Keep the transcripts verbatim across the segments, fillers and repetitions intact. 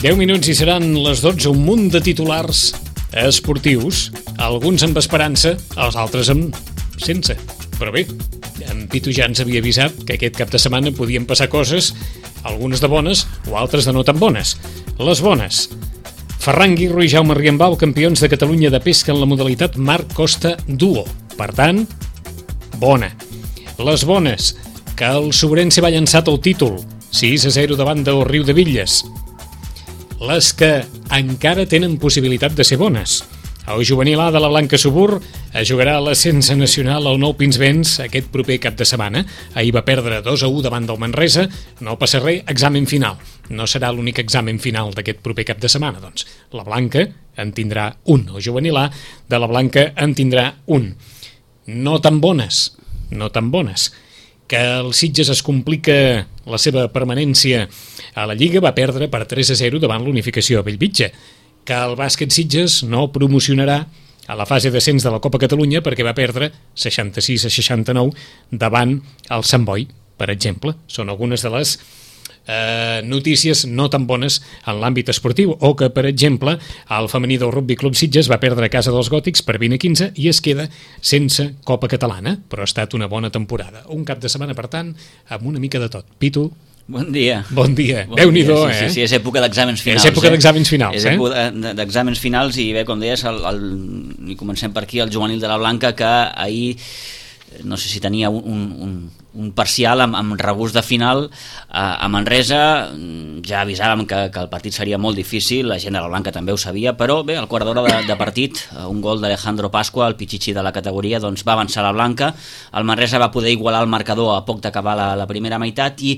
deu minuts i seran les dotze, un munt de titulars esportius, alguns amb esperança, els altres amb sense. Però bé, en Pitu ja ens havia avisat que aquest cap de setmana podien passar coses, algunes de bones o altres de no tan bones. Les bones: Ferran Guirro i Jaume Riambau, campions de Catalunya de pesca en la modalitat Mar Costa Duo. Per tant, bona. Les bones: que el Sobrense va llançar el títol, sis a zero davant del Riu de Villes. Les que encara tenen possibilitat de ser bones: el juvenil A de la Blanca Subur jugarà a l'ascens nacional al Nou Pinsbens aquest proper cap de setmana. Ahir va perdre dos a u davant del Manresa. No passa res, examen final. No serà l'únic examen final d'aquest proper cap de setmana, doncs la Blanca en tindrà un. El juvenil A de la Blanca en tindrà un. No tan bones, no tan bones. Que el Sitges es complica la seva permanència a la Lliga, va perdre per tres a zero davant l'Unificació a Bellvitge. Que el bàsquet Sitges no promocionarà a la fase d'ascens de la Copa Catalunya perquè va perdre seixanta-sis a seixanta-nou davant el Sant Boi, per exemple. Són algunes de les eh, notícies no tan bones en l'àmbit esportiu, o que, per exemple, el femení del Rugby Club Sitges va perdre a casa dels Gòtics per vint a quinze i es queda sense Copa Catalana, però ha estat una bona temporada. Un cap de setmana, per tant, amb una mica de tot. Pitu, bon dia. Bon dia. Bon Déu-n'hi-do, dia. Sí, eh? Sí, sí, és època d'exàmens finals. És època eh? d'exàmens finals, és eh? És època d'exàmens finals i bé, com deies, el, el, i comencem per aquí, el juvenil de la Blanca, que ahir no sé si tenia un, un, un parcial amb, amb regust de final a, a Manresa. Ja avisàvem que, que el partit seria molt difícil, la gent de la Blanca també ho sabia, però bé, al quart d'hora de, de partit, un gol d'Alejandro Pascua, el pitxitxi de la categoria, doncs va avançar la Blanca. El Manresa va poder igualar el marcador a poc d'acabar la, la primera meitat i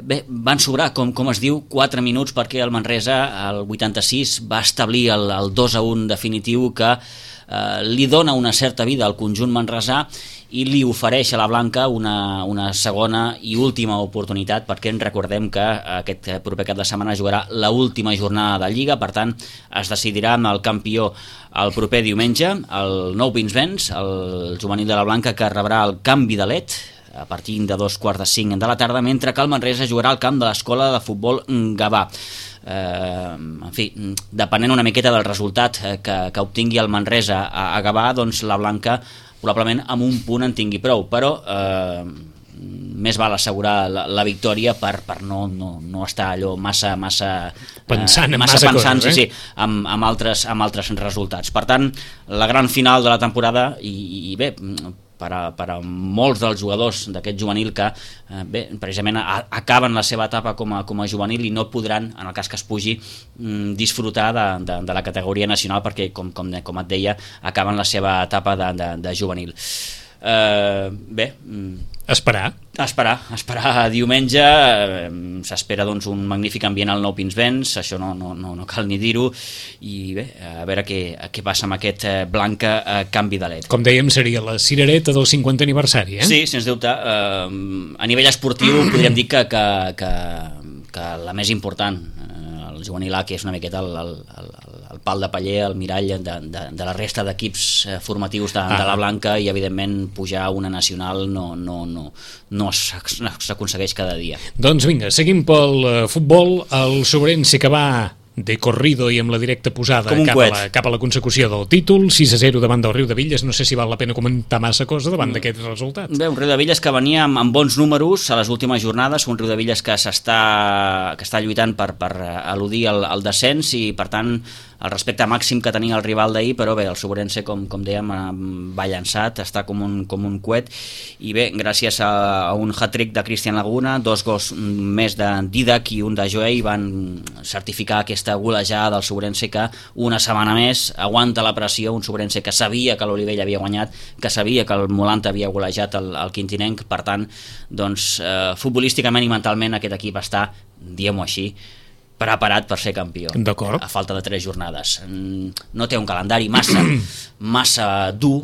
bé, van sobrar, com, com es diu, quatre minuts perquè el Manresa, al vuitanta-sis, va establir el, el dos a un definitiu que eh, li dona una certa vida al conjunt manresà i li ofereix a la Blanca una, una segona i última oportunitat, perquè ens recordem que aquest proper cap de setmana jugarà l'última jornada de Lliga. Per tant, es decidirà amb el campió el proper diumenge, el Nou Pinsbens, el juvenil de la Blanca, que rebrà el canvi de led a partir de dos quarts de cinc de la tarda, mentre que el Manresa jugarà al camp de l'Escola de Futbol Gavà. Eh, en fi, depenent una miqueta del resultat que, que obtingui el Manresa a, a Gavà, doncs la Blanca probablement amb un punt en tingui prou, però eh, més val assegurar la, la victòria per, per no, no, no estar allò massa massa pensant, eh, massa massa pensant coses, sí, eh? sí, amb, amb, altres, amb altres resultats. Per tant, la gran final de la temporada i, i bé, per a, per a molts dels jugadors d'aquest juvenil que eh, bé, precisament a, acaben la seva etapa com a, com a juvenil i no podran, en el cas que es pugi, mm, disfrutar de, de, de la categoria nacional perquè, com, com, com et deia, acaben la seva etapa de, de, de juvenil. Eh, bé... Esperar. Esperar, esperar diumenge. eh, s'espera doncs un magnífic ambient al Nou Pinsbens, això no, no, no, no cal ni dir-ho, i bé, a veure què, què passa amb aquest eh, Blanca eh, canvi de led. Com dèiem, seria la cirereta del cinquantè aniversari, eh? Sí, sens dubte. Eh, a nivell esportiu podríem dir que, que, que, que la més important, eh, el juvenil A, que és una miqueta el, el, el, el pal de paller, el mirall de, de, de la resta d'equips formatius de, ah. de la Blanca, i evidentment pujar a una nacional no, no, no, no s'aconsegueix cada dia. Doncs vinga, seguim pel futbol. El Sobrense, que va de corrido i amb la directa posada cap a la, cap a la consecució del títol, sis a zero davant del Riu de Villes. No sé si val la pena comentar massa cosa davant mm. d'aquest resultat. Bé, un Riu de Villes que venia amb, amb bons números a les últimes jornades, un Riu de Villes que s'està que està lluitant per, per eludir el, el descens i, per tant, el respecte màxim que tenia el rival d'ahir, però bé, el Sobrense, com, com dèiem, va llançat, està com un, com un coet, i bé, gràcies a, a un hat-trick de Cristian Laguna, dos gols més de Didac i un de Joey, van certificar aquesta golejada del Sobrense, que una setmana més aguanta la pressió, un Sobrense que sabia que l'Olivella havia guanyat, que sabia que el Molanta havia golejat el, el Quintinenc. Per tant, doncs, eh, futbolísticament i mentalment aquest equip està, diguem-ho així, preparat per ser campió. D'acord. A falta de tres jornades. No té un calendari massa massa dur,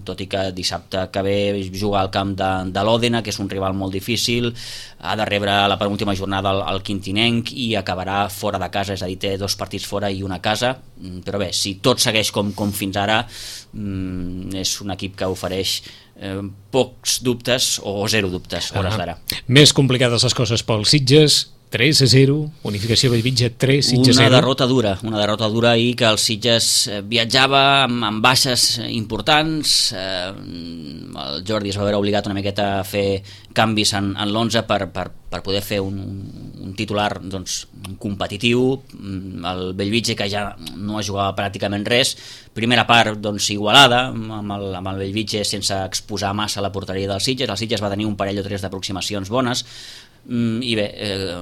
tot i que dissabte que ve juga al camp de, de l'Òdena, que és un rival molt difícil, ha de rebre la penúltima jornada al, al Quintinenc i acabarà fora de casa, és a dir, té dos partits fora i una a casa, però bé, si tot segueix com, com fins ara, és un equip que ofereix eh, pocs dubtes o zero dubtes, hores d'ara. Més complicades les coses pels Sitges. tres a zero, Unificació Bellvitge tres, Sitges zero. Una derrota dura, una derrota dura ahir que el Sitges viatjava amb, amb baixes importants, eh, el Jordi es va veure obligat una miqueta a fer canvis en, en l'onze per, per, per poder fer un, un titular doncs, competitiu. El Bellvitge, que ja no jugava pràcticament res, primera part doncs, igualada amb el, amb el Bellvitge sense exposar massa la porteria del Sitges. El Sitges va tenir un parell o tres d'aproximacions bones, i bé, eh,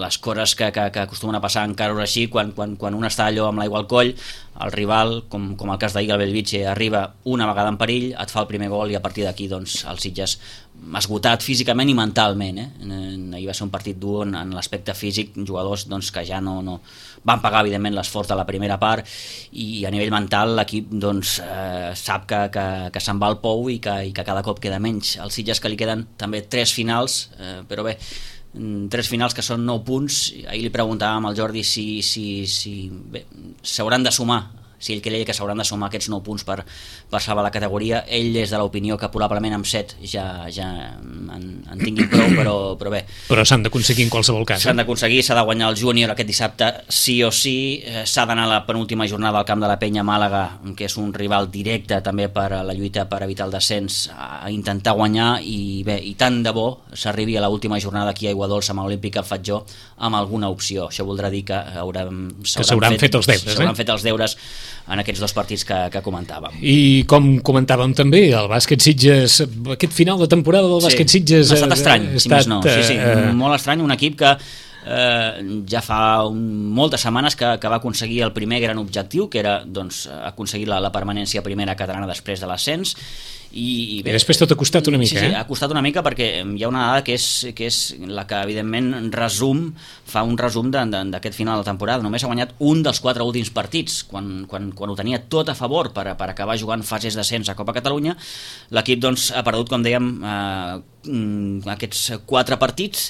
les coses que, que, que acostumen a passar encara així, quan, quan, quan un està allò amb l'aigua al coll, el rival, com, com el cas d'ahir, el Bellvitge, arriba una vegada en perill, et fa el primer gol i a partir d'aquí doncs, el Sitges esgotat físicament i mentalment. Eh? Ahir va ser un partit dur en, en l'aspecte físic, jugadors doncs, que ja no, no van pagar evidentment l'esforç de la primera part, i a nivell mental l'equip doncs, eh, sap que, que, que se'n va al pou i que, i que cada cop queda menys. El Sitges, que li queden també tres finals, eh, però bé, tres finals que són nou punts. Ahir li preguntàvem al Jordi si, si, si bé, s'hauran de sumar, si ell creia que s'hauran de sumar aquests nou punts per, per salvar la categoria. Ell és de l'opinió que probablement amb set ja, ja en, en tinguin prou, però, però bé. Però s'han d'aconseguir en qualsevol cas. S'han d'aconseguir, s'ha de guanyar el júnior aquest dissabte sí o sí, s'ha d'anar a la penúltima jornada al camp de la Penya Màlaga, que és un rival directe també per a la lluita per evitar el descens, a intentar guanyar, i bé, i tant de bo s'arribi a l'última jornada aquí a Aiguadols amb l'Olímpic al Fatjó amb alguna opció. Això voldrà dir que haurem, s'hauran fet, fet els deures, s'hauran eh? fet els deures en aquests dos partits que, que comentàvem. I com comentàvem també, el bàsquet Sitges, aquest final de temporada del bàsquet sí, Sitges ha estat estrany, ha si més no. Sí, sí, uh... molt estrany, un equip que eh, ja fa un, moltes setmanes que, que va aconseguir el primer gran objectiu, que era doncs, aconseguir la, la permanència primera catalana després de l'ascens. I, i, bé, I després tot ha costat una mica, sí, sí, eh? ha costat una mica perquè hi ha una dada que és, que és la que evidentment resum, fa un resum d'aquest final de temporada. Només ha guanyat un dels quatre últims partits, quan, quan, quan ho tenia tot a favor per, per acabar jugant fases d'ascens a Copa Catalunya. L'equip doncs, ha perdut, com dèiem, eh, aquests quatre partits,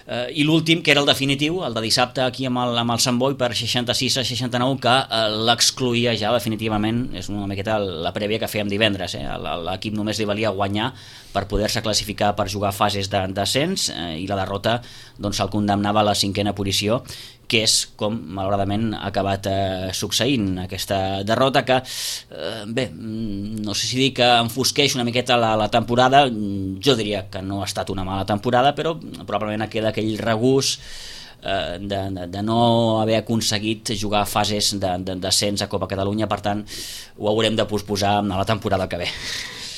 Uh, i l'últim, que era el definitiu, el de dissabte aquí amb el, amb el Sant Boi per seixanta-sis a seixanta-nou, que uh, l'excluïa ja definitivament. És una miqueta la prèvia que fèiem divendres, eh? L'equip només li valia guanyar per poder-se classificar per jugar fases d'ascens, eh, i la derrota doncs, el condemnava a la cinquena posició, que és com malauradament ha acabat eh, succeint, aquesta derrota que eh, bé, no sé si dir que enfosqueix una miqueta la, la temporada. Jo diria que no ha estat una mala temporada, però probablement queda aquell regús eh, de, de, de no haver aconseguit jugar fases d'ascens a Copa Catalunya. Per tant, ho haurem de posposar a la temporada que ve.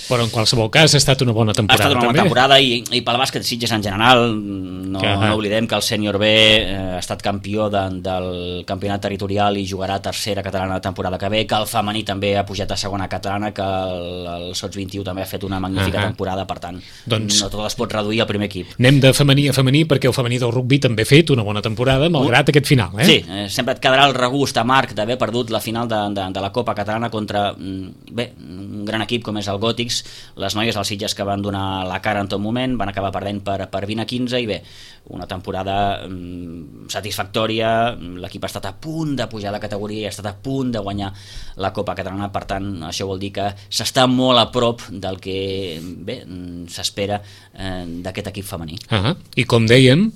Però en qualsevol cas ha estat una bona temporada. Ha estat una bona també. temporada, i, i pel bàsquet Sitges en general. No, que, no oblidem que el sènior B eh, ha estat campió de, del campionat territorial i jugarà tercera catalana la temporada que ve, que el femení també ha pujat a segona catalana, que el, el Sots vint-i-u també ha fet una magnífica uh -huh. temporada. Per tant, doncs, no tot es pot reduir al primer equip. Anem de femení a femení, perquè el femení del rugby també ha fet una bona temporada, malgrat uh, aquest final, eh? Sí, eh, sempre et quedarà el regust amarg d'haver perdut la final de, de, de la Copa Catalana contra bé, un gran equip com és el Gòtics. Les noies dels Sitges que van donar la cara en tot moment van acabar perdent per, per vint a quinze, i bé, una temporada mm, satisfactòria. L'equip ha estat a punt de pujar de categoria i ha estat a punt de guanyar la Copa Catalana. Per tant, això vol dir que s'està molt a prop del que bé s'espera eh, d'aquest equip femení. Uh -huh. I com dèiem,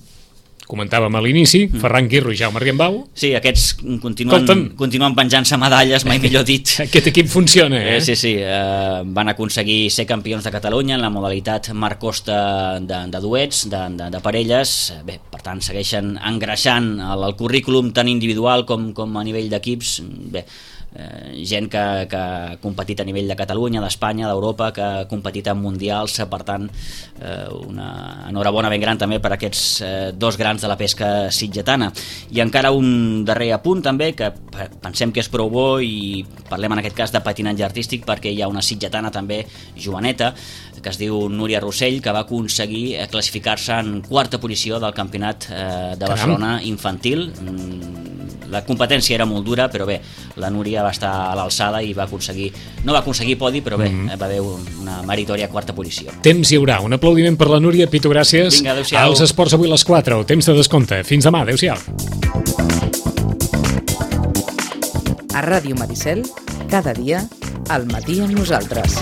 comentàvem a l'inici, mm. Ferran Guirro i Jaume Argembau. Sí, aquests continuen, continuen penjant-se medalles, mai millor dit. Aquest equip funciona, eh? eh sí, sí, eh, van aconseguir ser campions de Catalunya en la modalitat Marc Costa de, de duets, de, de, de parelles. Bé, per tant, segueixen engreixant el, el currículum tant individual com, com a nivell d'equips. Bé, Eh, gent que, que ha competit a nivell de Catalunya, d'Espanya, d'Europa, que ha competit en mundials. Per tant, eh, una enhorabona ben gran també per aquests eh, dos grans de la pesca sitgetana. I encara un darrer apunt també, que pensem que és prou bo, i parlem en aquest cas de patinatge artístic, perquè hi ha una sitgetana també joveneta que es diu Núria Rossell, que va aconseguir classificar-se en quarta posició del campionat eh, de Barcelona infantil. La competència era molt dura, però bé, la Núria va estar a l'alçada i va aconseguir, no va aconseguir podi, però bé, mm-hmm. va haver una meritòria quarta posició. Temps hi haurà. Un aplaudiment per la Núria. Pitu, gràcies. Vinga, adéu-siau. Els esports avui a les quatre. Temps de descompte. Fins demà. Adéu-siau. A Ràdio Maricel, cada dia, al matí amb nosaltres.